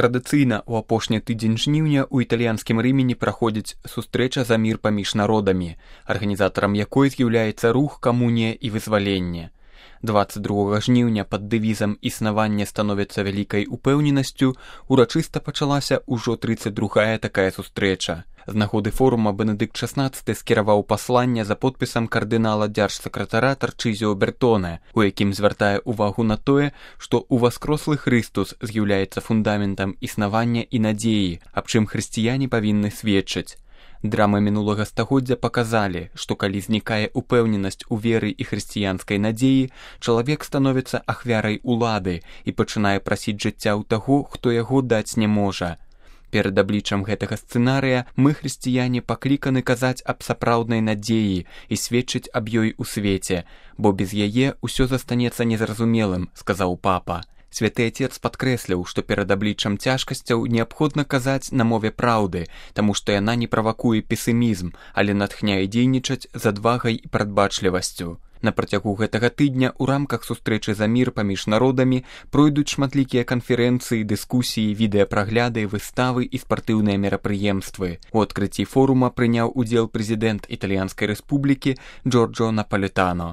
Традыцыйна ў апошні тыдзень жніўня ў італьянскім Рымені праходзіць сустрэча за мір паміж народамі, арганізатарам якой з'яўляецца рух «Камунія і вызваленне». 22 жніўня пад дэвізам «Існаванне становіцца вялікай упэўненасцю» урачыста пачалася ўжо 32-я такая сустрэча. З нагоды форума Бенедыкт XVI скіраваў пасланне за подпісам кардынала дзяржсакратара Тарчызіо Бертоне, у якім звяртае ўвагу на тое, што ўваскрослы Хрыстус з'яўляецца фундаментам існавання і надзеі, аб чым хрысціяне павінны сведчыць. Драмы мінулага стагоддзя паказалі, што калі знікае упэўненасць у веры і хрысціянскай надзеі, чалавек становіцца ахвярай улады і пачынае прасіць жыцця ў таго, хто яго даць не можа. Перад абліччам гэтага сцэнарыя мы, хрысціяне, пакліканы казаць аб сапраўднай надзеі і сведчыць аб ёй у свеце, бо без яе ўсё застанецца незразумелым, сказаў папа. Святы Отец падкрэсліў, што перад абліччам цяжкасцяў неабходна казаць на мове праўды, таму што яна не правакуе песімізм, але натхняе дзейнічаць з адвагай і прадбачлівасцю. На працягу гэтага тыдня ў рамках сустрэчы за мір паміж народамі пройдуць шматлікія канферэнцыі, дыскусіі, відэапрагляды, выставы і спартыўныя мерапрыемствы. У адкрыцці форума прыняў удзел прэзідэнт Італьянскай рэспублікі Джорджо Напалетано.